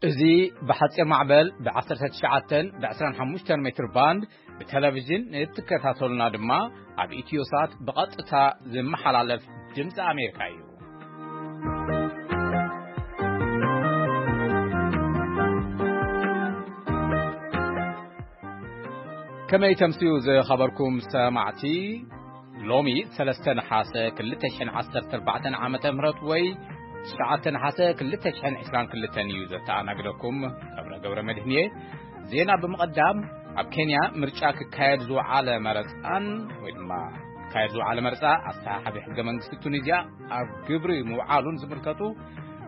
እዚ ብሓጺር ማዕበል ብ19 ብ25 ሜትር ባንድ ብቴሌቪዥን እትከታተሉና ድማ ኣብ ኢትዮሳት ብቐጥታ ዝመሓላለፍ ድምፂ ኣሜሪካ እዩ። ከመይ ተምስዩ ዝኸበርኩም ሰማዕቲ? ሎሚ 3 ነሓሰ 2014 ዓመተ ምህረት ወይ 9 ነሓሰ 2022 እዩ ዘተኣናግደኩም። ገብረ ገብረ መድህን እየ። ዜና ብምቕዳም፣ ኣብ ኬንያ ምርጫ ክካየድ ዝወዓለ መረፃን ወይ ድማ ክካየድ ዝወዓለ መረፃ ኣስተሓሓቢ ሕገ መንግስቲ ቱኒዝያ ኣብ ግብሪ ምውዓሉን ዝምልከቱ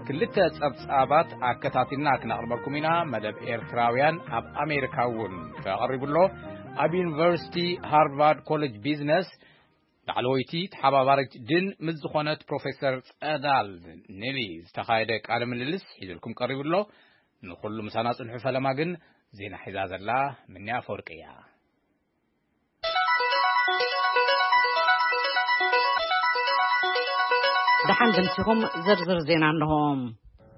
ክልተ ጸብጻባት ኣከታቲልና ክነቕርበልኩም ኢና። መደብ ኤርትራውያን ኣብ ኣሜሪካ እውን ተቐሪቡ ኣሎ። ኣብ ዩኒቨርሲቲ ሃርቫርድ ኮሌጅ ቢዝነስ ላዕለወይቲ ተሓባባሪት ድን ምስ ዝኾነት ፕሮፌሰር ጸዳል ኔሊ ዝተኻየደ ቃለ ምልልስ ሒዝልኩም ቀሪቡ ኣሎ። ንኹሉ ምሳና ጽንሑ። ፈለማ ግን ዜና ሒዛ ዘላ ምንያ ኣፈወርቂ እያ። ደሓን ደምሲኹም። ዝርዝር ዜና እንሆ።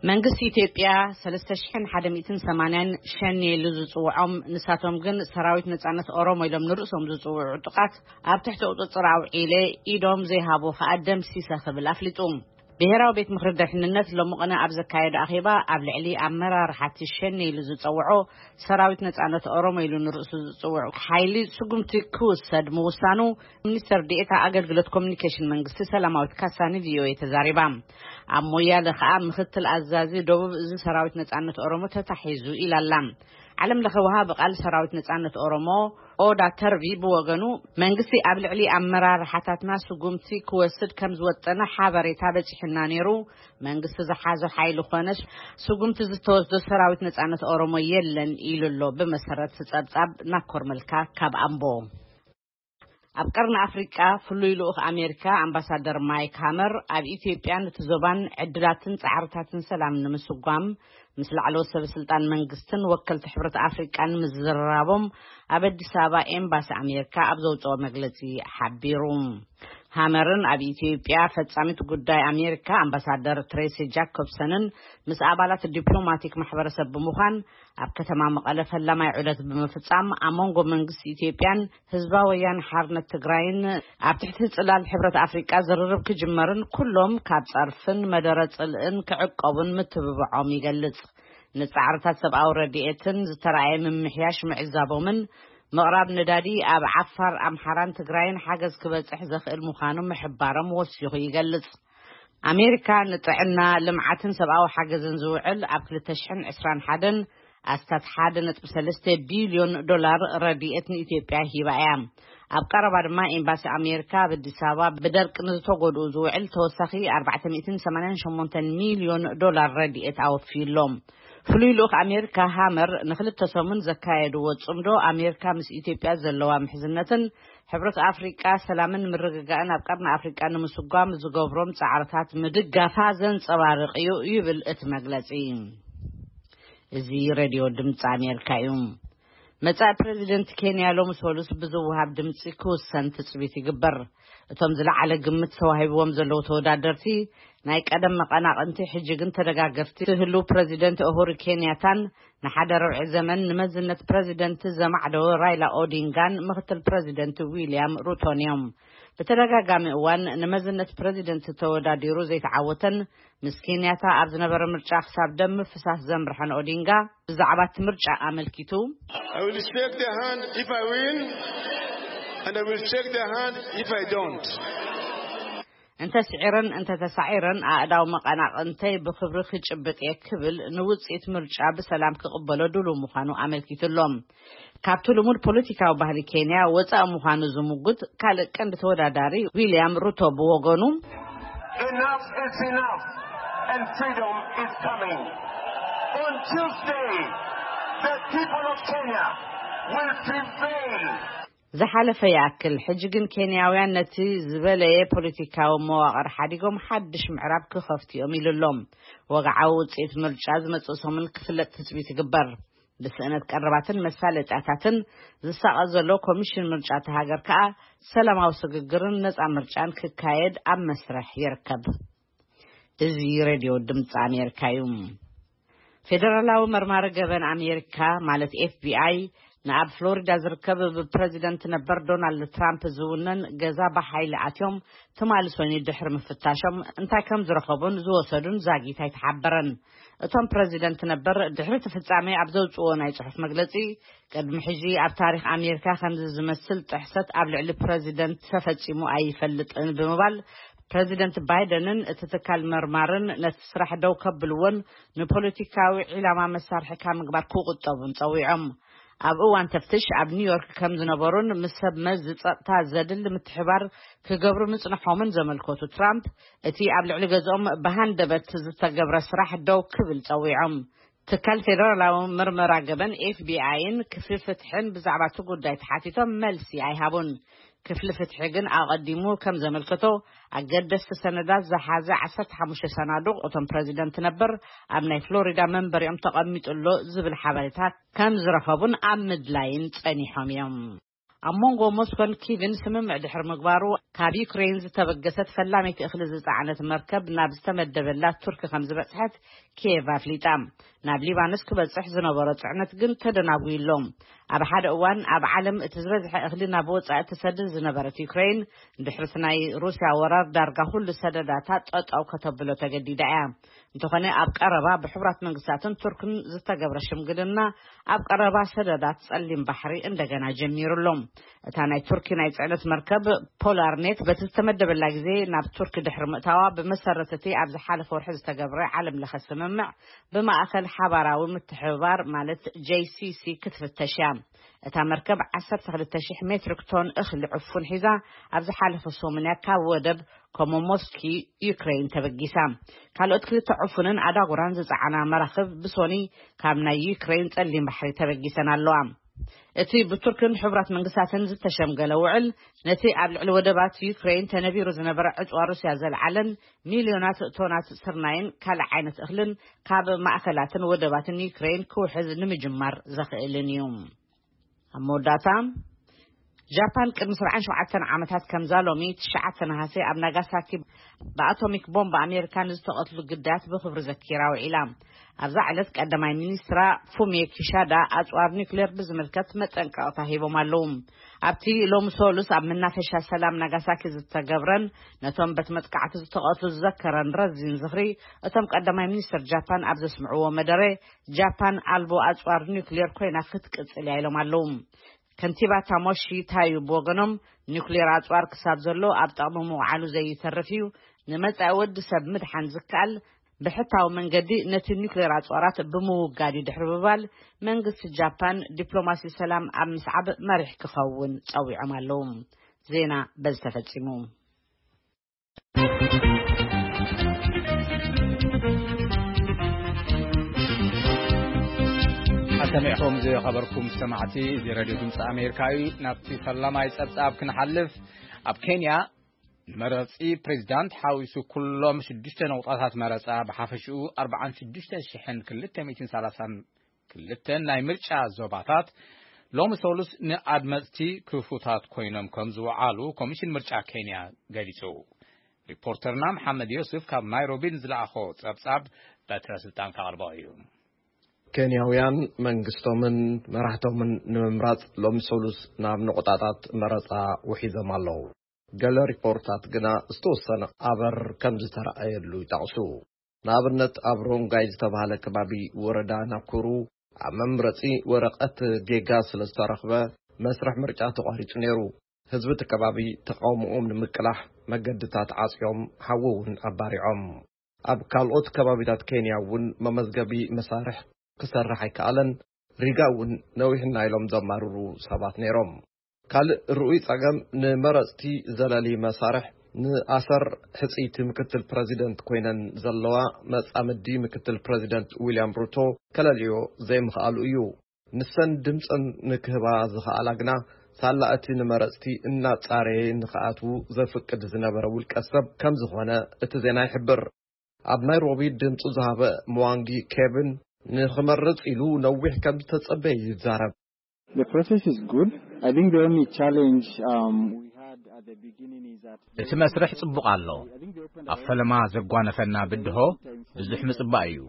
መንግስቲ ኢትዮጵያ 3,180 ሸኔ ኢሉ ዝጽውዖም፣ ንሳቶም ግን ሰራዊት ነጻነት ኦሮሞ ኢሎም ንርእሶም ዝጽውዑ ዕጡቓት ኣብ ትሕቲ ቁጽጽር ኣውዒለ፣ ኢዶም ዘይሃቡ ከኣ ደምሲሰ ክብል ኣፍሊጡ። ብሄራዊ ቤት ምኽሪ ድሕንነት ሎሚ ቅነ ኣብ ዘካየዶ ኣኼባ፣ ኣብ ልዕሊ ኣመራርሓ እቲ ሸኔ ኢሉ ዝጸውዖ ሰራዊት ነጻነት ኦሮሞ ኢሉ ንርእሱ ዝጽውዑ ሓይሊ ስጉምቲ ክውሰድ ምውሳኑ፣ ሚኒስተር ዲኤታ ኣገልግሎት ኮሚኒኬሽን መንግስቲ ሰላማዊት ካሳ ንቪኦኤ ተዛሪባ። ኣብ ሞያለ ከኣ ምኽትል ኣዛዚ ደቡብ እዚ ሰራዊት ነጻነት ኦሮሞ ተታሒዙ ኢላ ኣላ። ዓለም ለኸ ወሃቢ ቃል ሰራዊት ነጻነት ኦሮሞ ኦዳ ተርቢ ብወገኑ፣ መንግስቲ ኣብ ልዕሊ ኣመራርሓታትና ስጉምቲ ክወስድ ከም ዝወጠነ ሓበሬታ በጺሕና ነይሩ። መንግስቲ ዝሓዞ ሓይሊ ኮነ ስጉምቲ ዝተወስዶ ሰራዊት ነጻነት ኦሮሞ የለን ኢሉ ኣሎ። ብመሰረት ጸብጻብ ናኮር መልካ ካብ ኣምቦ። ኣብ ቀርኒ ኣፍሪቃ ፍሉይ ልኡኽ ኣሜሪካ ኣምባሳደር ማይክ ሃመር ኣብ ኢትዮጵያን እቲ ዞባን ዕድላትን ጻዕርታትን ሰላም ንምስጓም ምስ ላዕለዎት ሰበ ስልጣን መንግስትን ወከልቲ ሕብረት ኣፍሪቃን ምዝርራቦም ኣብ ኣዲስ ኣበባ ኤምባሲ ኣሜሪካ ኣብ ዘውፅኦ መግለፂ ሓቢሩ። ሃመርን ኣብ ኢትዮጵያ ፈጻሚት ጉዳይ ኣሜሪካ ኣምባሳደር ትሬሲ ጃኮብሰንን ምስ ኣባላት ዲፕሎማቲክ ማሕበረሰብ ብምዃን ኣብ ከተማ መቐለ ፈላማይ ዑደት ብምፍጻም፣ ኣብ መንጎ መንግስቲ ኢትዮጵያን ህዝባዊ ወያነ ሓርነት ትግራይን ኣብ ትሕቲ ጽላል ሕብረት ኣፍሪቃ ዝርርብ ክጅመርን ኩሎም ካብ ጸርፍን መደረ ጽልእን ክዕቀቡን ምትብብዖም ይገልጽ። ንጻዕርታት ሰብኣዊ ረድኤትን ዝተራእየ ምምሕያሽ ምዕዛቦምን ምቕራብ ነዳዲ ኣብ ዓፋር፣ ኣምሓራን ትግራይን ሓገዝ ክበጽሕ ዘኽእል ምዃኑ ምሕባሮም ወሲኹ ይገልጽ። ኣሜሪካ ንጥዕና፣ ልምዓትን ሰብኣዊ ሓገዝን ዝውዕል ኣብ 2021 ኣስታት 1.3 ቢልዮን ዶላር ረድኤት ንኢትዮጵያ ሂባ እያ። ኣብ ቀረባ ድማ ኤምባሲ ኣሜሪካ ኣብ ኣዲስ ኣበባ ብደርቂ ንዝተጎድኡ ዝውዕል ተወሳኺ 488 ሚልዮን ዶላር ረድኤት ኣወፊዩሎም። ፍሉይ ልኡኽ ኣሜሪካ ሃመር ንክልተ ሰሙን ዘካየድዎ ጽምዶ ኣሜሪካ ምስ ኢትዮጵያ ዘለዋ ምሕዝነትን ሕብረት ኣፍሪቃ ሰላምን ምርግጋእን ኣብ ቀርኒ ኣፍሪቃ ንምስጓም ዝገብሮም ጻዕርታት ምድጋፋ ዘንጸባርቕ እዩ ይብል እቲ መግለጺ። እዚ ሬድዮ ድምፂ ኣሜሪካ እዩ። መጻኢ ፕሬዚደንት ኬንያ ሎሚ ሰሉስ ብዝወሃብ ድምፂ ክውሰን ትጽቢት ይግበር። እቶም ዝለዓለ ግምት ተዋሂብዎም ዘለዉ ተወዳደርቲ ናይ ቀደም መቐናቕንቲ ሕጂ ግን ተደጋገፍቲ ህልው ፕሬዚደንት ኡሁሩ ኬንያታን ንሓደ ረብዒ ዘመን ንመዝነት ፕሬዚደንት ዘማዕደወ ራይላ ኦዲንጋን ምኽትል ፕሬዚደንት ዊልያም ሩቶን እዮም። ብተደጋጋሚ እዋን ንመዝነት ፕሬዚደንት ተወዳዲሩ ዘይተዓወተን ምስ ኬንያታ ኣብ ዝነበረ ምርጫ ክሳብ ደም ምፍሳስ ዘምርሐን ኦዲንጋ ብዛዕባ እቲ ምርጫ ኣመልኪቱ፣ I will shake their hand if I win, and I will shake their hand if I don't. እንተ ስዒረን እንተ ተሳዒረን ኣእዳው መቐናቕንተይ ብኽብሪ ክጭብጥ እየ ክብል ንውፅኢት ምርጫ ብሰላም ክቕበሎ ድሉው ምዃኑ ኣመልኪቱ ኣሎ። ካብቲ ልሙድ ፖለቲካዊ ባህሊ ኬንያ ወፃኢ ምዃኑ ዝምጉት ካልእ ቀንዲ ተወዳዳሪ ዊልያም ሩቶ ብወገኑ፣ Enough is enough, and freedom is coming. On Tuesday, the people of Kenya will prevail. ዝሓለፈ ይኣክል፣ ሕጂ ግን ኬንያውያን ነቲ ዝበለየ ፖለቲካዊ መዋቕር ሓዲጎም ሓድሽ ምዕራብ ክኸፍቱ እዮም ኢሉ ኣሎ። ወግዓዊ ውፅኢት ምርጫ ዝመፅእ ሰሙን ክፍለጥ ትፅቢት ይግበር። ብስእነት ቀረባትን መሳለጥያታትን ዝሳቐ ዘሎ ኮሚሽን ምርጫ እታ ሃገር ከኣ ሰላማዊ ስግግርን ነጻ ምርጫን ክካየድ ኣብ መስርሕ ይርከብ። እዚ ሬድዮ ድምፂ ኣሜሪካ እዩ። ፌደራላዊ መርማሪ ገበን ኣሜሪካ፣ ማለት ኤፍ ቢ ኣይ፣ ንኣብ ፍሎሪዳ ዝርከብ ብፕረዚደንት ነበር ዶናልድ ትራምፕ ዝውነን ገዛ ብሓይሊ ኣትዮም ትማሊ ሰኑይ ድሕሪ ምፍታሾም እንታይ ከም ዝረኸቡን ዝወሰዱን ዛጊት ኣይተሓበረን። እቶም ፕረዚደንት ነበር ድሕሪ እቲ ፍጻሜ ኣብ ዘውጽእዎ ናይ ጽሑፍ መግለጺ፣ ቅድሚ ሕጂ ኣብ ታሪኽ ኣሜሪካ ከምዚ ዝመስል ጥሕሰት ኣብ ልዕሊ ፕረዚደንት ተፈጺሙ ኣይፈልጥን ብምባል፣ ፕረዚደንት ባይደንን እቲ ትካል መርማርን ነቲ ስራሕ ደው ከብልዎን ንፖለቲካዊ ዒላማ መሳርሒ ካብ ምግባር ክቁጠቡን ጸዊዖም። ኣብ እዋን ተፍትሽ ኣብ ኒውዮርክ ከም ዝነበሩን ምስ ሰብ መዚ ጸጥታ ዘድሊ ምትሕባር ክገብሩ ምጽንሖምን ዘመልከቱ ትራምፕ፣ እቲ ኣብ ልዕሊ ገዝኦም ብሃንደበት ዝተገብረ ስራሕ ደው ክብል ጸዊዖም። ትካል ፌደራላዊ ምርመራ ገበን ኤፍ ቢ ኣይን ክፍሊ ፍትሕን ብዛዕባ እቲ ጉዳይ ተሓቲቶም መልሲ ኣይሃቡን። ክፍሊ ፍትሒ ግን ኣቐዲሙ ከም ዘመልከቶ፣ ኣገደስቲ ሰነዳት ዝሓዘ ዓሰርተ ሓሙሽተ ሰናዱቕ እቶም ፕረዚደንት ነበር ኣብ ናይ ፍሎሪዳ መንበሪኦም ተቐሚጡ ኣሎ ዝብል ሓበሬታ ከም ዝረኸቡን ኣብ ምድላይን ጸኒሖም እዮም። ኣብ መንጎ ሞስኮን ኪቭን ስምምዕ ድሕሪ ምግባሩ፣ ካብ ዩክሬን ዝተበገሰት ፈላመይቲ እኽሊ ዝጸዓነት መርከብ ናብ ዝተመደበላ ቱርኪ ከም ዝበጽሐት ኪየቭ ኣፍሊጣ። ናብ ሊባኖስ ክበጽሕ ዝነበሮ ጽዕነት ግን ተደናጉዩ ኣሎ። ኣብ ሓደ እዋን ኣብ ዓለም እቲ ዝበዝሐ እኽሊ ናብ ወጻኢ ትሰድድ ዝነበረት ዩክሬን፣ ድሕሪ እቲ ናይ ሩስያ ወራር ዳርጋ ኩሉ ሰደዳታ ጠጠው ከተብሎ ተገዲዳ እያ። እንተኾነ ኣብ ቀረባ ብሕቡራት መንግስታትን ቱርክን ዝተገብረ ሽምግልና ኣብ ቀረባ ሰደዳት ጸሊም ባሕሪ እንደገና ጀሚሩ ኣሎ። እታ ናይ ቱርኪ ናይ ጽዕነት መርከብ ፖላርኔት በቲ ዝተመደበላ ግዜ ናብ ቱርኪ ድሕሪ ምእታዋ፣ ብመሰረት እቲ ኣብ ዝሓለፈ ወርሒ ዝተገብረ ዓለም ለኸ ስምምዕ ብማእከል ሓባራዊ ምትሕብባር ማለት ጄ ሲ ሲ ክትፍተሽ እያ። እታ መርከብ ዓሰርተ ክልተ ሽሕ ሜትሪክ ቶን እኽሊ ዕፉን ሒዛ ኣብ ዝሓለፈ ሰሙን እያ ካብ ወደብ ኮሞሞስኪ ዩክሬን ተበጊሳ። ካልኦት ክልተ ዕፉንን ኣዳጉራን ዝጸዓና መራኽብ ብሶኒ ካብ ናይ ዩክሬን ጸሊም ባሕሪ ተበጊሰን ኣለዋ። እቲ ብቱርክን ሕቡራት መንግስታትን ዝተሸምገለ ውዕል፣ ነቲ ኣብ ልዕሊ ወደባት ዩክሬን ተነቢሩ ዝነበረ ዕጽዋ ሩስያ ዘልዓለን ሚልዮናት ቶናት ስርናይን ካልእ ዓይነት እኽልን ካብ ማእከላትን ወደባትን ዩክሬን ክውሕዝ ንምጅማር ዘኽእልን እዩ። ኣብ መወዳእታ፣ ጃፓን ቅድሚ ሰብዓን ሸውዓተን ዓመታት ከምዛ ሎሚ ትሽዓተ ነሃሰ ኣብ ናጋሳኪ ብኣቶሚክ ቦምብ ኣሜሪካ ንዝተቐትሉ ግዳያት ብኽብሪ ዘኪራ ውዒላ። ኣብዛ ዕለት ቀዳማይ ሚኒስትራ ፉሚዮ ኪሻዳ ኣጽዋር ኒውክሌር ብዝምልከት መጠንቀቕታ ሂቦም ኣለዉ። ኣብቲ ሎሚ ሰሉስ ኣብ መናፈሻ ሰላም ናጋሳኪ ዝተገብረን ነቶም በቲ መጥቃዕቲ ዝተቐትሉ ዝዘከረን ረዚን ዝኽሪ፣ እቶም ቀዳማይ ሚኒስትር ጃፓን ኣብ ዘስምዕዎ መደረ፣ ጃፓን ኣልቦ ኣጽዋር ኒውክሌር ኮይና ክትቅጽል እያ ኢሎም ኣለዉ። ከንቲባ ታሞሺ ታዩ ብወገኖም፣ ኒውክሌር ኣጽዋር ክሳብ ዘሎ ኣብ ጥቕሚ ምውዓሉ ዘይተርፍ እዩ፣ ንመጻኢ ወዲ ሰብ ምድሓን ዝከኣል ብሕታዊ መንገዲ ነቲ ኒውክሌር ኣጽዋራት ብምውጋድ እዩ ድሕሪ ምባል፣ መንግስቲ ጃፓን ዲፕሎማሲ ሰላም ኣብ ምስዓብ መሪሕ ክኸውን ጸዊዖም ኣለዉ። ዜና በዚ ተፈጺሙ። ኣሰሚዕኹም ዝኸበርኩም ሰማዕቲ፣ እዚ ሬድዮ ድምፂ ኣሜሪካ እዩ። ናብቲ ፈላማይ ጸብጻብ ክንሓልፍ፣ ኣብ ኬንያ ንመረፂ ፕሬዚዳንት ሓዊሱ ኩሎም ሽዱሽተ ነቑጣታት መረፃ ብሓፈሽኡ ኣርባዓን ሽዱሽተ ሽሕን ክልተ ሚእትን ሰላሳን ክልተን ናይ ምርጫ ዞባታት ሎሚ ሰሉስ ንኣድመፅቲ ክፉታት ኮይኖም ከም ዝወዓሉ ኮሚሽን ምርጫ ኬንያ ገሊጹ። ሪፖርተርና መሓመድ ዮስፍ ካብ ናይሮቢ ንዝለኣኾ ጸብጻብ በትረ ስልጣን ከቕርቦ እዩ። ኬንያውያን መንግስቶምን መራሕቶምን ንምምራጽ ሎሚ ሰሉስ ናብ ነቑጣታት መረጻ ውሒዞም ኣለዉ። ገለ ሪፖርታት ግና ዝተወሰነ ኣበር ከም ዝተረኣየሉ ይጠቕሱ። ንኣብነት፣ ኣብ ሮንጋይ ዝተባህለ ከባቢ ወረዳ ናኩሩ ኣብ መምረጺ ወረቐት ጌጋ ስለ ዝተረኽበ፣ መስርሕ ምርጫ ተቋሪጹ ነይሩ። ህዝቢ እቲ ከባቢ ተቓውሞኦም ንምቅላሕ መገድታት ዓጽዮም፣ ሓዊ እውን ኣባሪዖም። ኣብ ካልኦት ከባቢታት ኬንያ እውን መመዝገቢ መሳርሕ ክሰርሕ ኣይከኣለን። ሪጋ እውን ነዊሕና ኢሎም ዘማርሩ ሰባት ነይሮም። ካልእ ርኡይ ጸገም፣ ንመረጽቲ ዘለሊ መሳርሕ ንኣሰር ሕጽይቲ ምክትል ፕረዚደንት ኮይነን ዘለዋ መጻምዲ ምክትል ፕረዚደንት ዊልያም ሩቶ ከለልዮ ዘይምኽኣሉ እዩ። ንሰን ድምጸን ንክህባ ዝኸኣላ ግና ሳላ እቲ ንመረጽቲ እናጻረየ ንክኣትዉ ዘፍቅድ ዝነበረ ውልቀ ሰብ ከም ዝኾነ እቲ ዜና ይሕብር። ኣብ ናይሮቢ ድምጹ ዝሃበ ምዋንጊ ኬቪን ንኽመርጽ ኢሉ ነዊሕ ከም ዝተጸበየ ይዛረብ። The process is good. I think the only challenge, um, we had at the beginning is that እቲ መስርሕ ጽቡቕ ኣሎ። ኣብ ፈለማ ዘጓነፈና ብድሆ ብዙሕ ምጽባእ እዩ።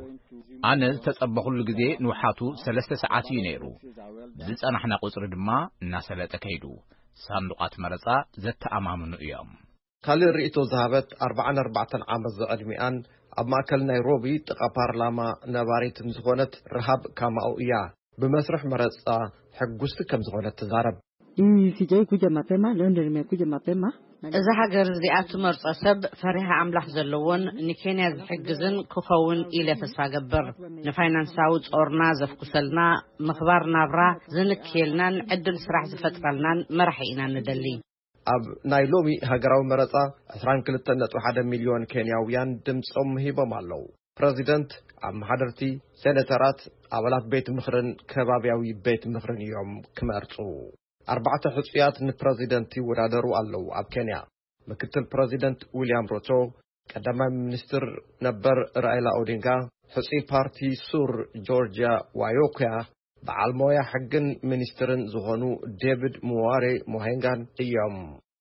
ኣነ ዝተጸበኹሉ ግዜ ንውሓቱ ሰለስተ ሰዓት እዩ ነይሩ። ብዝጸናሕና ቁጽሪ ድማ እናሰለጠ ከይዱ። ሳንዱቓት መረጻ ዘተኣማምኑ እዮም። ካልእ ርእይቶ ዝሃበት ኣርባዓን ኣርባዕተን ዓመት ዝዕድሚኣን ኣብ ማእከል ናይሮቢ ጥቓ ፓርላማ ነባሪትን ዝኾነት ረሃብ ካማኡ እያ። ብመስርሕ መረጻ ሕጉስቲ ከም ዝኾነት ትዛረብ። Hii sijai kuja mapema, leo ndio nimekuja mapema. እዛ ሃገር እዚኣ ትመርጾ ሰብ ፈሪሃ ኣምላኽ ዘለዎን ንኬንያ ዝሕግዝን ክኸውን ኢለ ተስፋ ገብር። ንፋይናንሳዊ ጾርና ዘፍኩሰልና፣ ምኽባር ናብራ ዝንክየልናን ዕድል ስራሕ ዝፈጥረልናን መራሒ ኢና ንደሊ። ኣብ ናይ ሎሚ ሃገራዊ መረጻ ዕስራን ክልተን ነጥቢ ሓደ ሚልዮን ኬንያውያን ድምጾም ሂቦም ኣለዉ። ፕረዚደንት፣ ኣመሓደርቲ፣ ሴኔተራት፣ ኣባላት ቤት ምኽርን ከባብያዊ ቤት ምኽርን እዮም ክመርጹ። ኣርባዕተ ሕጹያት ንፕረዚደንት ይወዳደሩ ኣለዉ ኣብ ኬንያ። ምክትል ፕረዚደንት ዊልያም ሮቶ፣ ቀዳማይ ሚኒስትር ነበር ራይላ ኦዲንጋ፣ ሕጹይ ፓርቲ ሱር ጆርጂያ ዋዮኮያ፣ በዓል ሞያ ሕግን ሚኒስትርን ዝኾኑ ዴቪድ ሙዋሬ ሞሄንጋን እዮም።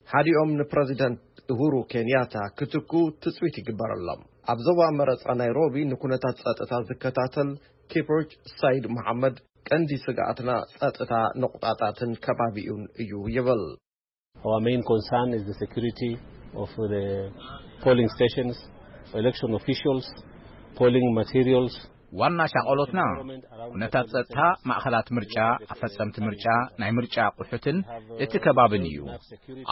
ሓዲኦም ንፕረዚደንት እሁሩ ኬንያታ ክትኩ ትጽቢት ይግበረሎም። ኣብ ዞባ መረጻ ናይሮቢ ንኩነታት ጸጥታ ዝከታተል ኪፕሮች ሳይድ መሓመድ፣ ቀንዲ ስግኣትና ጸጥታ ነቑጣጣትን ከባቢኡን እዩ ይብል። Our main concern is the security of the polling stations, election officials, polling materials. ዋና ሻቐሎትና ኩነታት ጸጥታ፣ ማእኸላት ምርጫ፣ ኣፈጸምቲ ምርጫ፣ ናይ ምርጫ ኣቑሑትን እቲ ከባብን እዩ።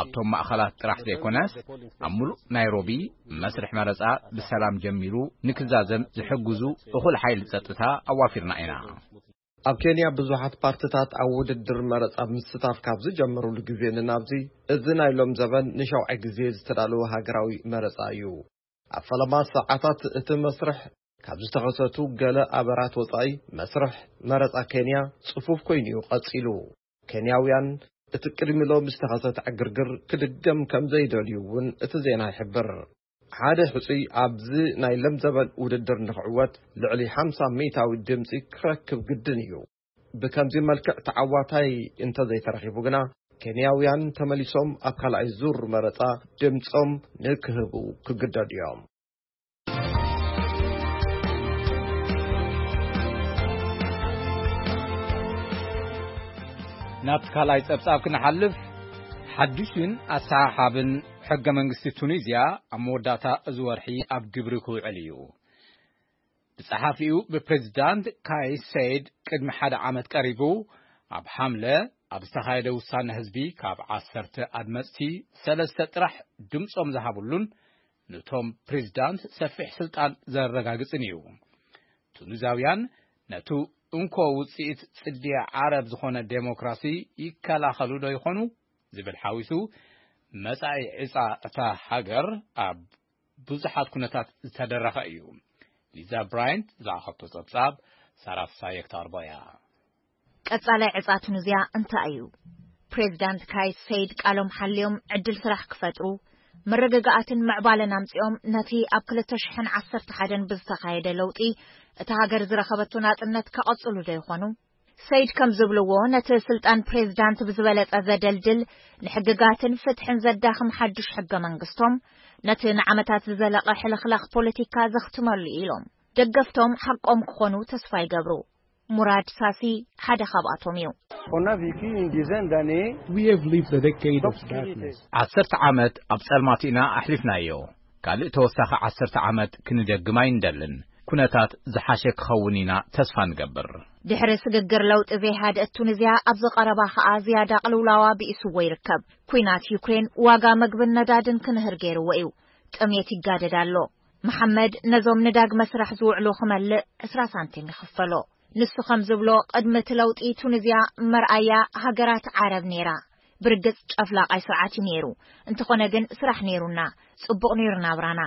ኣብቶም ማእኸላት ጥራሕ ዘይኮነስ ኣብ ሙሉእ ናይሮቢ መስርሕ መረጻ ብሰላም ጀሚሩ ንክዛዘም ዝሕግዙ እኹል ሓይሊ ጸጥታ ኣዋፊርና ኢና። ኣብ ኬንያ ብዙሓት ፓርትታት ኣብ ውድድር መረጻ ምስታፍ ካብ ዝጀመሩሉ ግዜ ንናብዚ፣ እዚ ናይ ሎም ዘበን ንሻውዓይ ግዜ ዝተዳለወ ሃገራዊ መረጻ እዩ። ኣብ ፈለማ ሰዓታት እቲ መስርሕ ካብ ዝተኸሰቱ ገለ ኣበራት ወጻኢ፣ መስርሕ መረጻ ኬንያ ጽፉፍ ኮይኑ እዩ ቀጺሉ። ኬንያውያን እቲ ቅድሚ ሎም ዝተኸሰተ ዕግርግር ክድገም ከም ዘይደልዩ እውን እቲ ዜና ይሕብር። ሓደ ሕጹይ ኣብዚ ናይ ሎም ዘበን ውድድር ንኽዕወት ልዕሊ ሓምሳ ሚእታዊ ድምጺ ክረክብ ግድን እዩ። ብከምዚ መልክዕ ተዓዋታይ እንተዘይተረኺቡ ግና፣ ኬንያውያን ተመሊሶም ኣብ ካልኣይ ዙር መረጻ ድምጾም ንክህቡ ክግደዱ እዮም። ናብቲ ካልኣይ ጸብጻብ ክንሓልፍ፣ ሓድሽን ኣሰሓሓብን ሕገ መንግስቲ ቱኒዝያ ኣብ መወዳእታ እዚ ወርሒ ኣብ ግብሪ ክውዕል እዩ። ብጸሓፊኡ ብፕሬዚዳንት ካይስ ሰይድ ቅድሚ ሓደ ዓመት ቀሪቡ፣ ኣብ ሓምለ ኣብ ዝተኻየደ ውሳነ ህዝቢ ካብ ዓሰርተ ኣድመጽቲ ሰለስተ ጥራሕ ድምጾም ዝሃብሉን ነቶም ፕሬዚዳንት ሰፊሕ ስልጣን ዘረጋግጽን እዩ። ቱኒዛውያን ነቲ እንኮ ውጽኢት ጽድያ ዓረብ ዝኾነ ዴሞክራሲ ይከላኸሉ ዶ ይኾኑ ዝብል ሓዊሱ፣ መጻኢ ዕጻ እታ ሃገር ኣብ ብዙሓት ኩነታት ዝተደረኸ እዩ። ሊዛ ብራይንት ዝለኣኸቶ ጸብጻብ ሳራ ፍሳየ ክተቕርቦ እያ። ቀጻላይ ዕጻ ቱኒዝያ እንታይ እዩ? ፕሬዚዳንት ካይስ ሰይድ ቃሎም ሓልዮም ዕድል ስራሕ ክፈጥሩ፣ መረጋጋኣትን ምዕባለን ኣምጺኦም ነቲ ኣብ ክልተ ሽሕን ዓሰርተ ሓደን ብዝተኻየደ ለውጢ እታ ሃገር ዝረኸበቶ ናጽነት ከቐጽሉ ዶ ይኾኑ? ሰይድ ከም ዝብልዎ፣ ነቲ ስልጣን ፕሬዚዳንት ብዝበለጸ ዘደልድል፣ ንሕግጋትን ፍትሕን ዘዳኽም ሓድሽ ሕገ መንግስቶም፣ ነቲ ንዓመታት ዝዘለቐ ሕልኽላኽ ፖለቲካ ዘኽትመሉ ኢሎም። ደገፍቶም ሓቆም ክኾኑ ተስፋ ይገብሩ። ሙራድ ሳሲ ሓደ ካብኣቶም እዩ። On a vécu une dizaine d'années We have lived a decade of d'obscurité. Darkness. ዓሰርተ ዓመት ኣብ ጸልማት ኢና ኣሕሊፍናዮ። ካልእ ተወሳኺ ዓሰርተ ዓመት ክንደግም ኣይንደልን። ኩነታት ዝሓሸ ክኸውን ኢና ተስፋ ንገብር። ድሕሪ ስግግር ለውጢ ዘይሃደእት ቱኒዝያ ኣብዚ ቀረባ ኸኣ ዝያዳ ቅልውላዋ ብኢስዎ ይርከብ። ኲናት ዩክሬን ዋጋ መግብን ነዳድን ክንህር ገይርዎ እዩ። ጥሜት ይጋደድ ኣሎ። መሓመድ ነዞም ንዳግመ ስራሕ ዝውዕሉ ክመልእ ዕስራ ሳንቲም ይኽፈሎ። ንሱ ከም ዝብሎ፣ ቅድሚ እቲ ለውጢ ቱኒዝያ መርኣያ ሃገራት ዓረብ ነይራ። ብርግጽ ጨፍላቓይ ስርዓት እዩ ነይሩ። እንተኾነ ግን ስራሕ ነይሩና፣ ጽቡቕ ነይሩ ናብራና።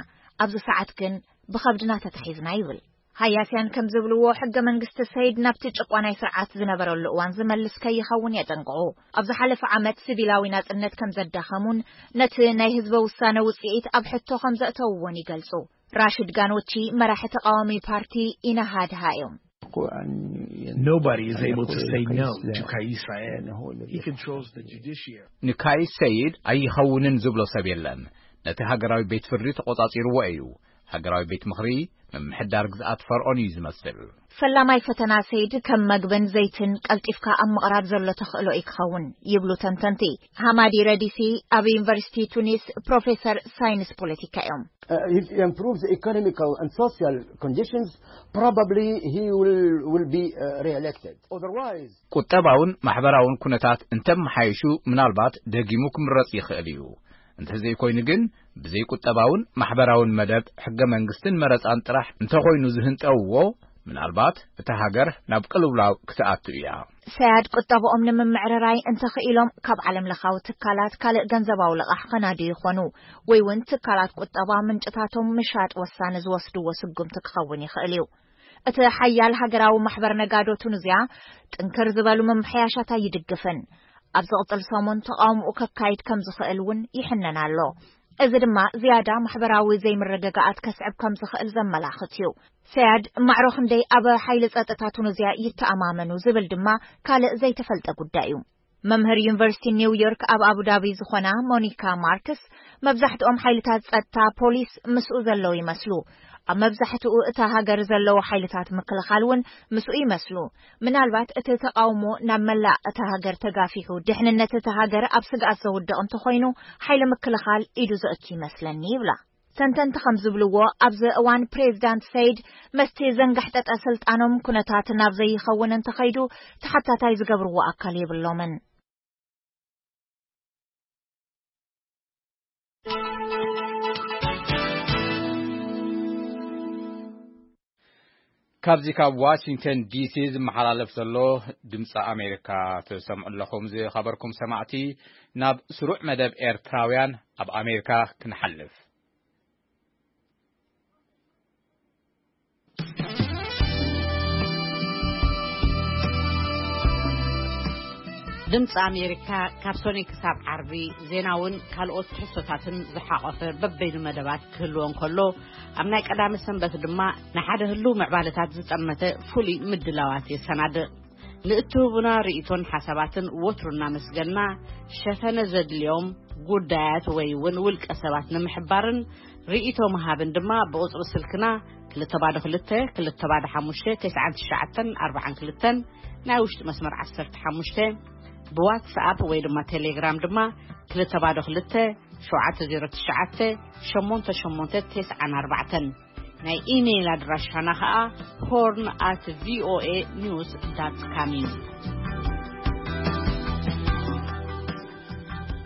ኣብዚ ሰዓት ግን ብኸብድና ተታሒዝና ይብል። ሃያስያን ከም ዝብልዎ፣ ሕገ መንግስቲ ሰይድ ናብቲ ጭቋናይ ስርዓት ዝነበረሉ እዋን ዝመልስ ከይኸውን የጠንቅቑ። ኣብ ዝሓለፈ ዓመት ሲቪላዊ ናጽነት ከም ዘዳኸሙን ነቲ ናይ ህዝበ ውሳነ ውጽኢት ኣብ ሕቶ ከም ዘእተውዎን ይገልጹ። ራሽድ ጋኖቺ መራሒ ተቓዋሚ ፓርቲ ኢናሃድሃ እዮም። Nobody is able to say no to Kais Saied. He controls the judiciary. ንካይስ ሰይድ ኣይኸውንን ዝብሎ ሰብ የለን። ነቲ ሃገራዊ ቤት ፍርዲ ተቖጻጺርዎ እዩ። ሃገራዊ ቤት ምኽሪ ምምሕዳር ግዝኣት ፈርዖን እዩ ዝመስል። ፈላማይ ፈተና ሰይድ ከም መግብን ዘይትን ቀልጢፍካ ኣብ ምቕራብ ዘሎ ተኽእሎ እዩ ክኸውን ይብሉ ተንተንቲ። ሃማዲ ረዲሲ ኣብ ዩኒቨርሲቲ ቱኒስ ፕሮፌሰር ሳይንስ ፖለቲካ እዮም። Uh, if he improves the economical and social conditions, probably he will, will be uh, re-elected. Otherwise, ቁጠባውን ማሕበራውን ኩነታት እንተመሓይሹ ምናልባት ደጊሙ ክምረጽ ይኽእል እዩ። እንተዘይኮይኑ ግን ብዘይ ቁጠባውን ማሕበራውን መደብ ሕገ መንግስትን መረጻን ጥራሕ እንተኾይኑ ዝህንጠውዎ ምናልባት እታ ሃገር ናብ ቅልውላው ክትኣቱ እያ። ሰያድ ቁጠብኦም ንምምዕርራይ እንተኽኢሎም ካብ ዓለም ለኻዊ ትካላት ካልእ ገንዘባዊ ልቓሕ ኸናዱ ይኾኑ ወይ እውን ትካላት ቁጠባ ምንጭታቶም ምሻጥ ወሳኒ ዝወስድዎ ስጉምቲ ክኸውን ይኽእል እዩ። እቲ ሓያል ሃገራዊ ማሕበር ነጋዶ ቱኒዝያ ጥንክር ዝበሉ ምምሕያሻት ኣይድግፍን። ኣብ ዝቕጽል ሰሙን ተቓውምኡ ከካይድ ከም ዝኽእል እውን ይሕነን ኣሎ። እዚ ድማ ዝያዳ ማሕበራዊ ዘይምርግጋኣት ከስዕብ ከም ዝኽእል ዘመላኽት እዩ። ሰያድ ማዕሮ ክንደይ ኣብ ሓይሊ ጸጥታ ቱኒዝያ ይተኣማመኑ ዝብል ድማ ካልእ ዘይተፈልጠ ጉዳይ እዩ። መምህር ዩኒቨርሲቲ ኒው ዮርክ ኣብ ኣቡዳቢ ዝኾና ሞኒካ ማርክስ፣ መብዛሕትኦም ሓይልታት ጸጥታ ፖሊስ ምስኡ ዘለዉ ይመስሉ። ኣብ መብዛሕትኡ እታ ሃገር ዘለዉ ሓይልታት ምክልኻል እውን ምስኡ ይመስሉ። ምናልባት እቲ ተቓውሞ ናብ መላእ እታ ሃገር ተጋፊሑ፣ ድሕንነት እታ ሃገር ኣብ ስግኣት ዘውድቕ እንተኾይኑ፣ ሓይሊ ምክልኻል ኢዱ ዘእቱ ይመስለኒ ይብላ። ተንተንቲ ከም ዝብልዎ፣ ኣብዚ እዋን ፕሬዚዳንት ሰይድ መስቲ ዘንጋሕጠጠ ስልጣኖም ኩነታት ናብ ዘይኸውን እንተኸይዱ ተሓታታይ ዝገብርዎ ኣካል የብሎምን። ካብዚ ካብ ዋሽንግተን ዲሲ ዝመሓላለፍ ዘሎ ድምፂ ኣሜሪካ ትሰምዑ ኣለኹም። ዝኸበርኩም ሰማዕቲ፣ ናብ ስሩዕ መደብ ኤርትራውያን ኣብ ኣሜሪካ ክንሓልፍ። ድምፂ ኣሜሪካ ካብ ሶኒ ክሳብ ዓርቢ ዜናውን ካልኦት ትሕዝቶታትን ዝሓቖፈ በበይኑ መደባት ክህልዎ እንከሎ፣ ኣብ ናይ ቀዳመ ሰንበት ድማ ንሓደ ህሉው ምዕባለታት ዝጠመተ ፍሉይ ምድላዋት የሰናድእ። ንእትህቡና ርእይቶን ሓሳባትን ወትሩ እናመስገንና፣ ሸፈነ ዘድልዮም ጉዳያት ወይ እውን ውልቀ ሰባት ንምሕባርን ርእይቶ ምሃብን ድማ ብቁጽሪ ስልክና ክልተ ባዶ ክልተ፣ ክልተ ባዶ ሓሙሽተ፣ ተስዓን ትሽዓተን ኣርባዓን ክልተን፣ ናይ ውሽጢ መስመር ዓሰርተ ሓሙሽተ፣ ብዋትስኣፕ ወይ ድማ ቴሌግራም ድማ ክልተ ባዶ ክልተ፣ ሸውዓተ ዜሮ ትሽዓተ፣ ሸሞንተ ሸሞንተ ተስዓን ኣርባዕተን። ናይ ኢሜይል ኣድራሻና ኸኣ ሆርን ኣት ቪኦኤ ኒውስ ዳት ካም እዩ።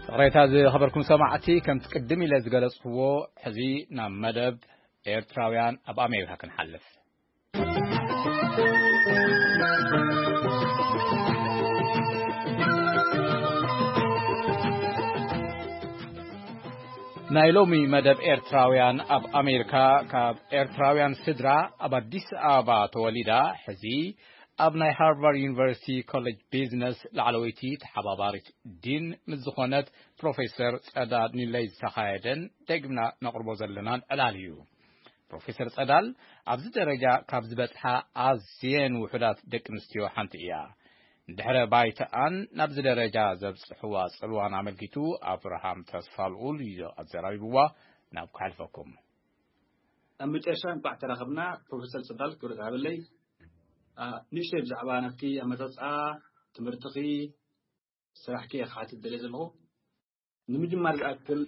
ይቕሬታ ዝኸበርኩም ሰማዕቲ፣ ከምቲ ቅድም ኢለ ዝገለጽክዎ፣ ሕዚ ናብ መደብ ኤርትራውያን ኣብ ኣሜሪካ ክንሓልፍ። ናይ ሎሚ መደብ ኤርትራውያን ኣብ ኣሜሪካ፣ ካብ ኤርትራውያን ስድራ ኣብ ኣዲስ ኣበባ ተወሊዳ፣ ሕዚ ኣብ ናይ ሃርቫርድ ዩኒቨርሲቲ ኮሌጅ ቢዝነስ ላዕለወይቲ ተሓባባሪት ዲን ምስ ዝኾነት ፕሮፌሰር ጸዳል ኒለይ ዝተኻየደን ደግምና ነቕርቦ ዘለናን ዕላል እዩ። ፕሮፌሰር ጸዳል ኣብዚ ደረጃ ካብ ዝበጽሓ ኣዝየን ውሑዳት ደቂ ኣንስትዮ ሓንቲ እያ። ንድሕረ ባይተኣን ናብዚ ደረጃ ዘብጽሕዋ ጽልዋን ኣመልኪቱ ኣብርሃም ተስፋልኡል እዩ ኣዘራሪብዋ። ናብ ክሓልፈኩም። ኣብ መጨረሻ እንቋዕ ተራኸብና። ፕሮፌሰር ጸዳል፣ ክብረት ሃበለይ። አ፣ ንእሽተይ ብዛዕባ ናትኪ ኣመጻጽኣ ትምህርትኺ፣ ስራሕኪ እየ ክሓትት ደልየ ዘለኹ። ንምጅማር ዝኣክል፣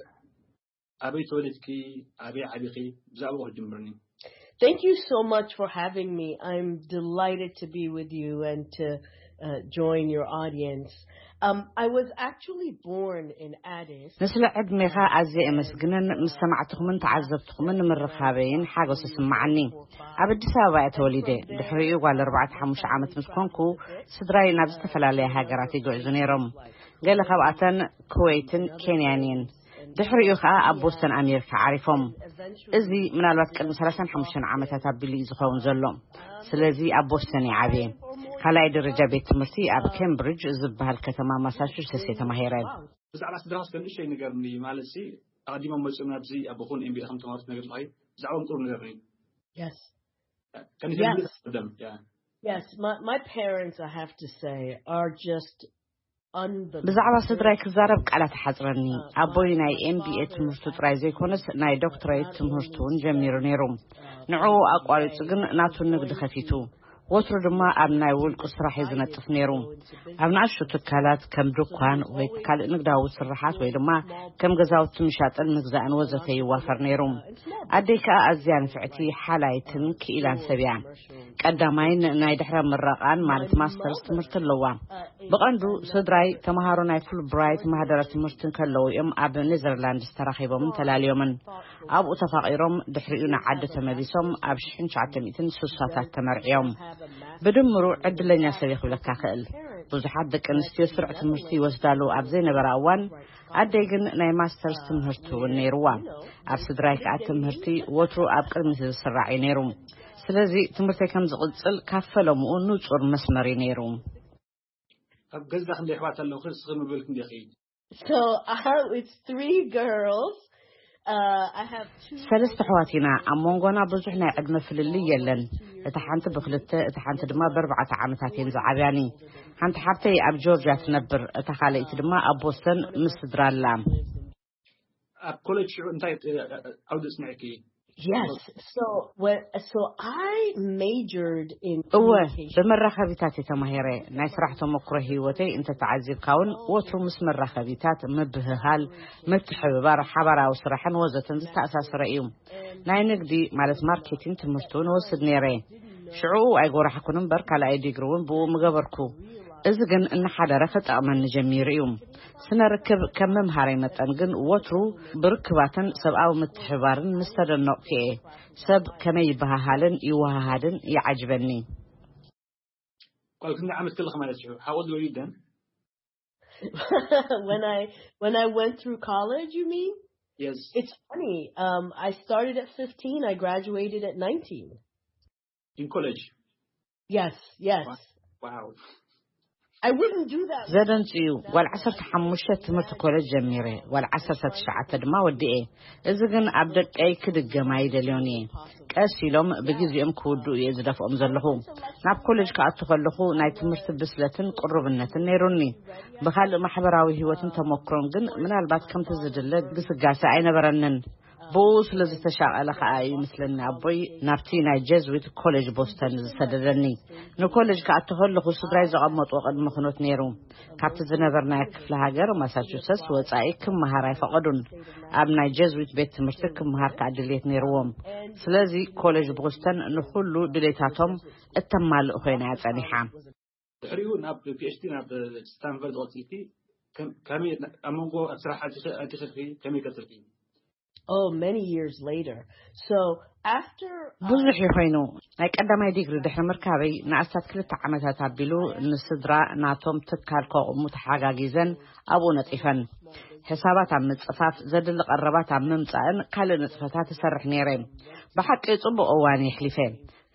ኣበይ ተወሊድኪ፣ ኣበይ ዓቢኺ፣ ብዛዕባኡ ክትጅምርኒ። Thank you so much for having me. I'm delighted to be with you and to uh, join your audience. Um, I was actually born in Addis. ንስለ ዕድሜኻ ኣዝየ እመስግንን ምስ ሰማዕትኹምን ተዓዘብትኹምን ንምርኻበይን ሓጎስ ይስምዓኒ። ኣብ ኣዲስ ኣበባ እየ ተወሊደ። ድሕሪኡ ጓል ኣርባዕተ ሓሙሽተ ዓመት ምስ ኮንኩ፣ ስድራይ ናብ ዝተፈላለያ ሃገራት ይግዕዙ ነይሮም። ገለ ካብኣተን ኩዌትን ኬንያን እየን። ድሕሪኡ ኸኣ ኣብ ቦስተን ኣሜሪካ ዓሪፎም። እዚ ምናልባት ቅድሚ ሰላሳን ሓሙሽተን ዓመታት ኣቢሉ እዩ ዝኸውን ዘሎ። ስለዚ ኣብ ቦስተን እየ ዓብየ። ካልኣይ ደረጃ ቤት ትምህርቲ ኣብ ኬምብሪጅ ዝበሃል ከተማ ማሳቹሴትስ እየ ተማሂረ። ብዛዕባ ስድራኻስ ከንእሽተይ ንገርኒ፣ ማለት ሲ ኣቐዲሞም መጺኦም ናብዚ ኣብ ኹን ኤምቢኤ ከም ተማሃሩ ትነግር ኣለኺ፣ ብዛዕባኦም ቁሩብ ንገርኒ። Yes. Can you tell me this about them? Yeah. Yes, my, my parents, I have to say, are just ብዛዕባ ስድራይ ክዛረብ ቃላት ሓጽረኒ። ኣቦይ ናይ M B A ትምህርቱ ጥራይ ዘይኮነስ ናይ ዶክትሬት ትምህርቱ እውን ጀሚሩ ነይሩ። ንዕኡ ኣቋሪጹ ግን ናቱ ንግዲ ከፊቱ። ወትሩ ድማ ኣብ ናይ ውልቁ ስራሕ እዩ ዝነጥፍ ነይሩ። ኣብ ንኣሽቱ ትካላት ከም ድኳን ወይ ካልእ ንግዳዊ ስርሓት ወይ ድማ ከም ገዛውቲ ምሻጥን ምግዛእን ወዘተ ይዋፈር ነይሩ። ኣደይ ከኣ ኣዝያ ንፍዕቲ፣ ሓላይትን ክኢላን ሰብ እያ። ቀዳማይን ናይ ድሕረ ምረቓን ማለት ማስተርስ ትምህርቲ ኣለዋ። ብቐንዱ ስድራይ ተምሃሮ ናይ ፉል ብራይት ማህደረ ትምህርቲ ከለዉ እዮም ኣብ ኔዘርላንድስ ተራኺቦምን ተላልዮምን። ኣብኡ ተፋቒሮም ድሕሪኡ ንዓዲ ተመሊሶም ኣብ ሽሕን ትሽዓተ ሚእትን ስሳታት ተመርዕዮም። ብድምሩ ዕድለኛ ሰብ እየ ክብለካ ክእል። ብዙሓት ደቂ ኣንስትዮ ስሩዕ ትምህርቲ ይወስዳሉ ኣብ ዘይነበራ እዋን፣ ኣደይ ግን ናይ ማስተርስ ትምህርቲ እውን ነይርዋ። ኣብ ስድራይ ከኣ ትምህርቲ ወትሩ ኣብ ቅድሚት ዝስራዕ እዩ ነይሩ። ስለዚ ትምህርተይ ከም ዝቕጽል ካብ ፈለምኡ ንጹር መስመር እዩ ነይሩ። ኣብ ገዛ ክንደይ ኣሕዋት ኣለውኺ? ንስኺ ምብልክ እንዲኺ? So uh, it's three girls. Uh, I have two. ሰለስተ ኣሕዋት ኢና። ኣብ መንጎና ብዙሕ ናይ ዕድመ ፍልልይ የለን። እታ ሓንቲ ብክልተ፣ እታ ሓንቲ ድማ ብኣርባዕተ ዓመታት እየን ዝዓብያኒ። ሓንቲ ሓብተይ ኣብ ጆርጅያ ትነብር፣ እታ ካልኣይቲ ድማ ኣብ ቦስተን ምስ ስድራ ኣላ። ኣብ ኮሌጅ ሽዑ እንታይ እ፣ እ፣ ዓውዲ ኣጽኒዕኪ? Yes. So what? So I majored in እወ፣ communication. ብመራኸቢታት እየ ተማሂረ። ናይ ስራሕ ተመክሮ ህይወተይ እንተተዓዚብካ እውን ወትሩ ምስ መራኸቢታት፣ ምብህሃል፣ ምትሕብባር፣ ሓባራዊ ስራሕን ወዘተን ዝተኣሳሰረ እዩ። ናይ ንግዲ ማለት ማርኬቲንግ ትምህርቲ እውን ወስድ ነይረ። ሽዕኡ ኣይጎራሕኩን እምበር ካልኣይ ዲግሪ እውን ብኡ ምገበርኩ። እዚ ግን እናሓደረ ክጠቕመኒ ጀሚሩ እዩ። ስነ ርክብ ከም ምምሃረይ መጠን ግን ወትሩ ብርክባትን ሰብኣዊ ምትሕባርን ምስ ተደነቕኩ እየ። ሰብ ከመይ ይበሃሃልን ይወሃሃድን ይዓጅበኒ። ጓል ክንደይ ዓመት ከለኺ ማለት እዩ? How old were you then? When I when I went through college, you mean? Yes. It's funny. Um, I started at fifteen. I graduated at nineteen. In college? Yes, yes. Wow. I wouldn't do that. ዘደንጽ እዩ። ጓል ዓሰርተ ሓሙሽተ ትምህርቲ ኮሌጅ ጀሚረ፣ ጓል ዓሰርተ ትሽዓተ ድማ ወዲኤ። እዚ ግን ኣብ ደቀይ ክድገም ኣይደልዮን እየ። ቀስ ኢሎም ብግዜኦም ክውድኡ እየ ዝደፍኦም ዘለኹ። ናብ ኮሌጅ ክኣቱ ከለኹ ናይ ትምህርቲ ብስለትን ቅሩብነትን ነይሩኒ። ብኻልእ ማሕበራዊ ህይወትን ተመክሮን ግን ምናልባት ከምቲ ዝድለ ግስጋሴ ኣይነበረንን። ብኡ ስለ ዝተሻቐለ ከኣ እዩ ምስለኒ ኣቦይ ናብቲ ናይ ጀዝዊት ኮሌጅ ቦስተን ዝሰደደኒ። ንኮሌጅ ክኣቱ ከለኹ ስድራይ ዘቐመጥዎ ቅድሚ ኩነት ነይሩ። ካብቲ ዝነበርናዮ ክፍለ ሃገር ማሳቹሰትስ ወጻኢ ክመሃር ኣይፈቐዱን። ኣብ ናይ ጀዝዊት ቤት ትምህርቲ ክመሃር ከኣ ድልየት ነይርዎም። ስለዚ ኮሌጅ ቦስተን ንኹሉ ድሌታቶም እተማልእ ኮይና እያ ጸኒሓ። ድሕሪኡ ናብ ፒ ኤች ዲ ናብ ስታንፈርድ ቀፂልኪ? ከም- ከመይ ኣብ መንጎ ኣብ ስራሕ ኣቲኺ- ኣቲኺ ከመይ ቀፅልኪ? Oh, many years later. So after uh, ብዙሕ እዩ ኮይኑ። ናይ ቀዳማይ ዲግሪ ድሕሪ ምርካበይ ንኣስታት ክልተ ዓመታት ኣቢሉ ንስድራ ናቶም ትካል ከቑሙ ተሓጋጊዘን ኣብኡ ነጢፈን። ሕሳባት ኣብ ምጽፋፍ፣ ዘድሊ ቀረባት ኣብ ምምጻእን ካልእ ንጥፈታት እሰርሕ ነይረ። ብሓቂ ጽቡቕ እዋን የሕሊፈ።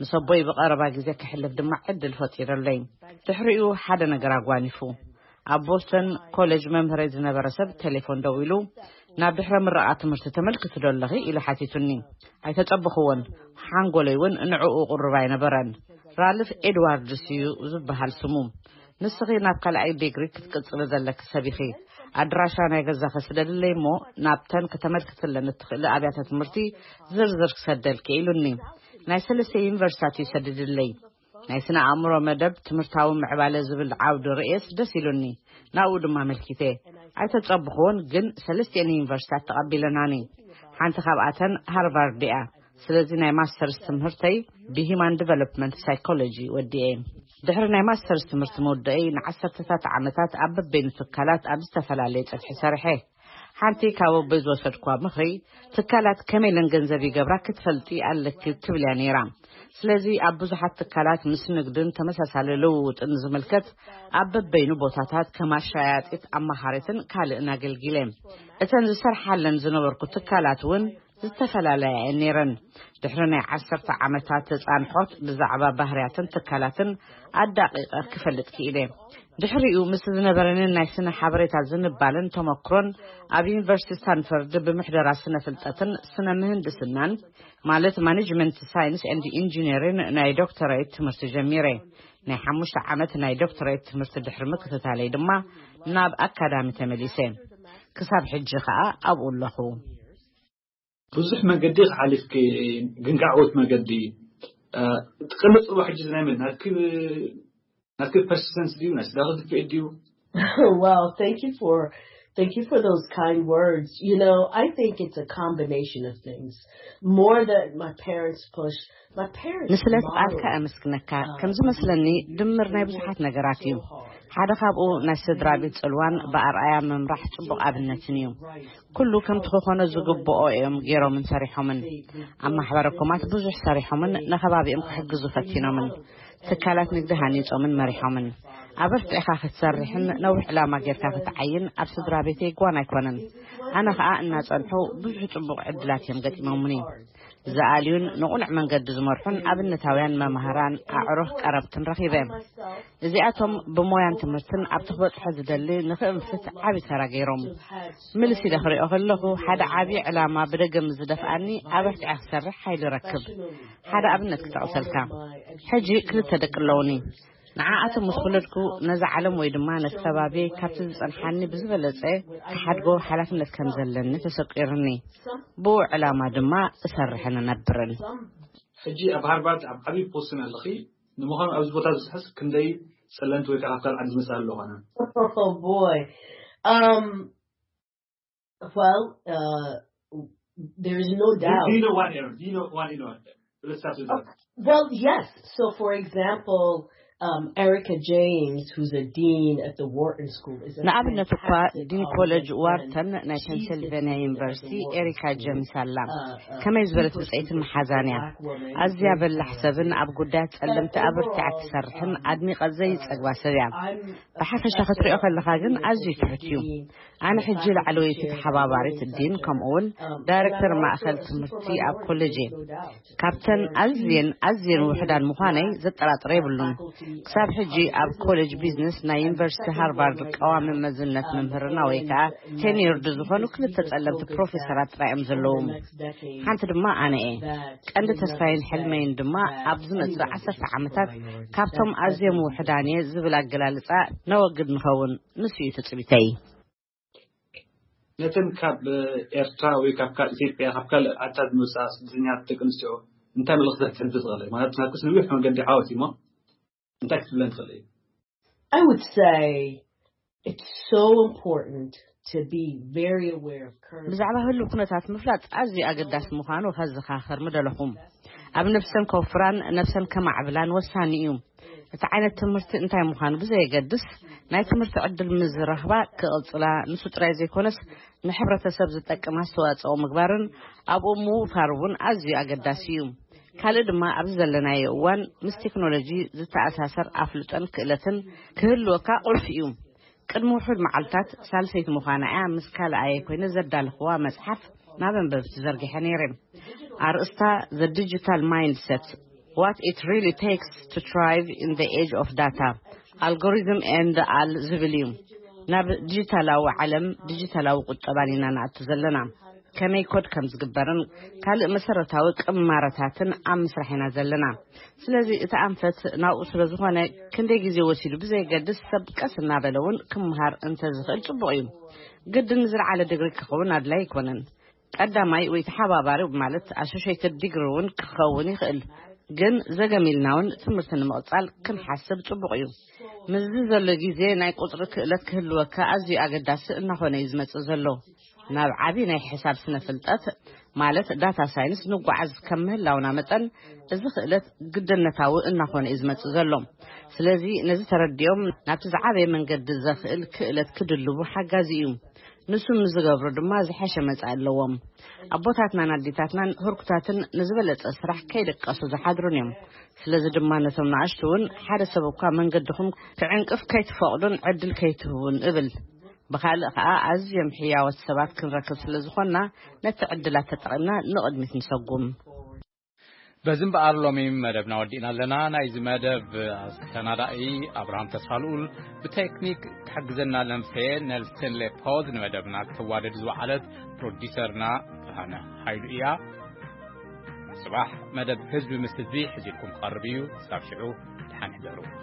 ምስ ኣቦይ ብቐረባ ግዜ ክሕልፍ ድማ ዕድል ፈጢረለይ። ድሕሪኡ ሓደ ነገር ኣጓኒፉ። ኣብ ቦስተን ኮሌጅ መምህረይ ዝነበረ ሰብ ቴሌፎን ደዊሉ፣ ናብ ድሕረ ምረቓ ትምህርቲ ተመልክቲ ዶ ኣለኺ ኢሉ ሓቲቱኒ። ኣይተጸበኽዎን። ሓንጎለይ እውን ንዕኡ ቅሩብ ኣይነበረን። ራልፍ ኤድዋርድስ እዩ ዝበሃል ስሙ። ንስኺ ናብ ካልኣይ ዲግሪ ክትቅጽሊ ዘለኪ ሰብ ኢኺ። ኣድራሻ ናይ ገዛኺ ስደድለይ እሞ ናብተን ከተመልክትለን እትኽእሊ ኣብያተ ትምህርቲ ዝርዝር ክሰደልኪ ኢሉኒ። ናይ ሰለስተ ዩኒቨርሲታት እዩ ሰዲድለይ። ናይ ስነ ኣእምሮ መደብ ትምህርታዊ ምዕባለ ዝብል ዓውዲ ርእየስ ደስ ኢሉኒ። ናብኡ ድማ ኣመልኪተ። ኣይተጸብኹዎን፣ ግን ሰለስቲኤን ዩኒቨርሲታት ተቐቢለናኒ። ሓንቲ ካብኣተን ሃርቫርድ እያ። ስለዚ ናይ ማስተርስ ትምህርተይ ብሂማን ዲቨሎፕመንት ሳይኮሎጂ ወዲኤ። ድሕሪ ናይ ማስተርስ ትምህርቲ ምውዳኤይ ንዓሰርተታት ዓመታት ኣብ በበይኑ ትካላት ኣብ ዝተፈላለየ ጸፍሒ ሰሪሐ። ሓንቲ ካብ ኣቦይ ዝወሰድኳ ምኽሪ፣ ትካላት ከመይ ኢለን ገንዘብ ይገብራ ክትፈልጢ ኣለኪ ትብል እያ ነይራ። ስለዚ ኣብ ብዙሓት ትካላት ምስ ንግድን ተመሳሳሊ ልውውጥን ዝምልከት ኣብ በበይኑ ቦታታት ከም ኣሻያጢት፣ ኣማኻሪትን ካልእን ኣገልጊለ። እተን ዝሰርሓለን ዝነበርኩ ትካላት እውን ዝተፈላለያ እየን ነይረን። ድሕሪ ናይ ዓሰርተ ዓመታት ተጻንሖት ብዛዕባ ባህርያትን ትካላትን ኣዳቂቐ ክፈልጥ ክኢለ። ድሕሪኡ ምስ ዝነበረንን ናይ ስነ ሓበሬታ ዝንባለን ተመክሮን ኣብ ዩኒቨርሲቲ ስታንፈርድ ብምሕደራ ስነ ፍልጠትን ስነ ምህንድስናን ማለት ማኔጅመንት ሳይንስ ኤንድ ኢንጂነሪን ናይ ዶክተራይት ትምህርቲ ጀሚረ። ናይ ሓሙሽተ ዓመት ናይ ዶክተሬት ትምህርቲ ድሕሪ ምክትታለይ ድማ ናብ ኣካዳሚ ተመሊሰ። ክሳብ ሕጂ ከኣ ኣብኡ ኣለኹ። ብዙሕ መገዲ ሓሊፍኪ፣ ግን ከዓወት መገዲ ትቅልጽ ዋ ሕጂ ናይ መን ናትኪ ናትኪ ፐርሲስተንስ ድዩ ናይ ስዳኺ ድፍእ ድዩ? Well, thank you for thank you for those kind words. You know, I think it's a combination of things. More that my parents push, my parents ንስለ ፍቓድካ ኣመስግነካ። ከም ዝመስለኒ ድምር ናይ ብዙሓት ነገራት እዩ። ሓደ ካብኡ ናይ ስድራ ቤት ጽልዋን ብኣርኣያ ምምራሕ ጽቡቕ ኣብነትን እዩ። ኩሉ ከምቲ ክኾኖ ዝግብኦ እዮም ገይሮምን ሰሪሖምን። ኣብ ማሕበረ ኮማት ብዙሕ ሰሪሖምን ንከባቢኦም ክሕግዙ ፈቲኖምን። ትካላት ንግዲ ሃኒጾምን መሪሖምን። ኣበርቲዕኻ ክትሰርሕን ነዊሕ ዕላማ ጌርካ ክትዓይን ኣብ ስድራ ቤተይ ጓን ኣይኮነን። ኣነ ኸኣ እናጸንሑ ብዙሕ ጽቡቕ ዕድላት እዮም ገጢሞምኒ። ዝኣልዩን ንቑኑዕ መንገዲ ዝመርሑን ኣብነታውያን መማህራን ኣዕሩኽ ቀረብትን ረኺበ። እዚኣቶም ብሞያን ትምህርትን ኣብቲ ክበጽሖ ዝደሊ ንኽእንፍት ዓቢ ተራ ገይሮም። ምልስ ኢለ ክሪኦ ከለኹ ሓደ ዓቢ ዕላማ ብደገ ምስ ዝደፍኣኒ ኣበርቲዐ ክሰርሕ ሓይሊ ረክብ። ሓደ ኣብነት ክጠቕሰልካ። ሕጂ ክልተ ደቂ ኣለውኒ። ንዓኣቶም ምስ ወለድኩ ነዛ ዓለም ወይ ድማ ነቲ ከባቢ ካብቲ ዝጸንሓኒ ብዝበለጸ ክሓድጎ ሓላፍነት ከም ዘለኒ ተሰቂርኒ። ብኡ ዕላማ ድማ እሰርሕን እነብርን። ሕጂ ኣብ ሃርቫርድ ኣብ ዓብዪ ፖስትን ኣለኺ። ንምዃኑ ኣብዚ ቦታ ዝስሕስ ክንደይ ጸለምቲ ወይ ከዓ ካብ ካልእ ዓዲ ዝመጽእ ኣሎ ኾነ? Oh boy. Um, well, uh, there is no Do, doubt. do you know one, Aaron? Do you know one, you know? Let's start with that. Well, yes. So, for example, um, Erica James, who's a dean at the Wharton School, is a ንኣብነት እኳ fantastic, ዲን um, ኮሌጅ young ዋርተን friend. ናይ She's ፔንሲልቬንያ been ዩኒቨርሲቲ teaching at the Wharton ኤሪካ School, ጀምስ ኣላ። uh, uh, ከመይ ዝበለት super, ብፅዕትን super መሓዛን እያ። black woman, ኣዝያ great በላሕ woman. ሰብን ኣብ ጉዳያት ጸለምቲ ኣበርቲዓ ትሰርሕን ኣድኒቐ ዘይጸግባ ሰብ እያ። ብሓፈሻ ክትሪኦ ከለኻ ግን ኣዝዩ ትሑት እዩ። ኣነ ሕጂ ላዕለወይቲ ተሓባባሪት ዲን ከምኡውን ዳይሬክተር ማእኸል ትምህርቲ ኣብ ኮሌጅ እየ። ካብተን ኣዝየን ኣዝየን ውሕዳን ምዃነይ ዘጠራጥር የብሉን። ክሳብ ሕጂ ኣብ ኮሌጅ ቢዝነስ ናይ ዩኒቨርሲቲ ሃርቫርድ ቀዋሚ መዝነት መምህርና ወይ ከዓ ቴኒርድ ዝኾኑ ክልተ ጸለምቲ ፕሮፌሰራት ጥራይ እዮም ዘለዉ። ሓንቲ ድማ ኣነ እየ። ቀንዲ ተስፋይን ሕልመይን ድማ ኣብ ዝመጽእ ዓሰርተ ዓመታት ካብቶም ኣዝዮም ውሕዳን እየ ዝብል ኣገላልጻ ነወግድ ንኸውን። ንሱ እዩ ትጽቢተይ። ነተን ካብ ኤርትራ ወይ ካብ ካልእ ኢትዮጵያ ካብ ካልእ ዓድታት ዝመጻ ስደተኛታት ደቂ ኣንስትዮ እንታይ መልእኽቲ ክትሕልፊ ትኽእሊ? ማለት ናትክስ ነዊሕ መገዲ ዓወት እዩ እሞ እንታይ ክትብለን ትኽእሊ? I would say it's so important to be very aware of current ብዛዕባ ህሉው ኩነታት ምፍላጥ ኣዝዩ ኣገዳሲ ምዃኑ ከዘኻኽር ምደለኹ። ኣብ ነፍሰን ከውፍራን ነፍሰን ከማዕብላን ወሳኒ እዩ። እቲ ዓይነት ትምህርቲ እንታይ ምዃኑ ብዘየገድስ ናይ ትምህርቲ ዕድል ምስ ዝረኽባ ክቕጽላ ንሱ ጥራይ ዘይኮነስ ንሕብረተሰብ ዝጠቅም ኣስተዋጽኦ ምግባርን ኣብኡ ምውፋር እውን ኣዝዩ ኣገዳሲ እዩ። ካልእ ድማ ኣብዚ ዘለናዮ እዋን ምስ ቴክኖሎጂ ዝተኣሳሰር ኣፍልጦን ክእለትን ክህልወካ ቁልፊ እዩ። ቅድሚ ውሑድ መዓልታት ሳልሰይቲ ምዃና እያ ምስ ካልኣየ ኮይነ ዘዳለኽዋ መጽሓፍ ናብ ኣንበብቲ ዘርጊሐ ነይረ። ኣርእስታ The Digital Mindset: What It Really Takes to Thrive in the Age of Data, Algorithm and All ዝብል እዩ። ናብ ዲጂታላዊ ዓለም ዲጂታላዊ ቁጠባን ኢና ንኣቱ ዘለና። ከመይ ኮድ ከም ዝግበርን ካልእ መሰረታዊ ቅማረታትን ኣብ ምስራሕ ኢና ዘለና። ስለዚ እቲ ኣንፈት ናብኡ ስለ ዝኾነ ክንደይ ግዜ ወሲዱ ብዘየገድስ ሰብ ቀስ እናበለ እውን ክምሃር እንተዝኽእል ጽቡቕ እዩ። ግድን ዝለዓለ ዲግሪ ክኸውን ኣድላይ ኣይኮነን። ቀዳማይ ወይ ተሓባባሪ ማለት ኣሶሽየትድ ዲግሪ እውን ክኸውን ይኽእል። ግን ዘገም ኢልና እውን ትምህርቲ ንምቕጻል ክንሓስብ ጽቡቕ እዩ። ምስዚ ዘሎ ግዜ ናይ ቁጽሪ ክእለት ክህልወካ ኣዝዩ ኣገዳሲ እናኾነ እዩ ዝመጽእ ዘሎ። ናብ ዓቢ ናይ ሕሳብ ስነ ፍልጠት ማለት ዳታ ሳይንስ ንጓዓዝ ከም ምህላውና መጠን እዚ ክእለት ግድነታዊ እናኾነ እዩ ዝመጽእ ዘሎ። ስለዚ ነዚ ተረዲኦም ናብቲ ዝዓበየ መንገዲ ዘኽእል ክእለት ክድልቡ ሓጋዚ እዩ። ንሱ ምስ ዝገብሩ ድማ ዝሐሸ መጻኢ ኣለዎም። ኣቦታትናን ኣዴታትናን ህርኩታትን ንዝበለጸ ስራሕ ከይደቀሱ ዝሓድሩን እዮም። ስለዚ ድማ ነቶም ንኣሽቱ እውን ሓደ ሰብ እኳ መንገድኹም ክዕንቅፍ ከይትፈቕዱን ዕድል ከይትህቡን እብል። ብኻልእ ኸኣ ኣዝዮም ሕያዎት ሰባት ክንረክብ ስለ ዝኾንና ነቲ ዕድላት ተጠቒምና ንቕድሚት ንሰጉም። በዚ እምበኣር ሎሚ መደብና ወዲእና ኣለና። ናይዚ መደብ ኣሰናዳኢ ኣብርሃም ተስፋልኡል፣ ብቴክኒክ ትሕግዘና ለምሴ ኔልሰን ሌፖዝ፣ ንመደብና ክተዋደድ ዝወዓለት ፕሮዲሰርና ብርሃነ ሃይሉ እያ። ጽባሕ መደብ ህዝቢ ምስ ህዝቢ ሒዝልኩም ክቐርብ እዩ። ክሳብ ሽዑ ደሓን ሕደሩ።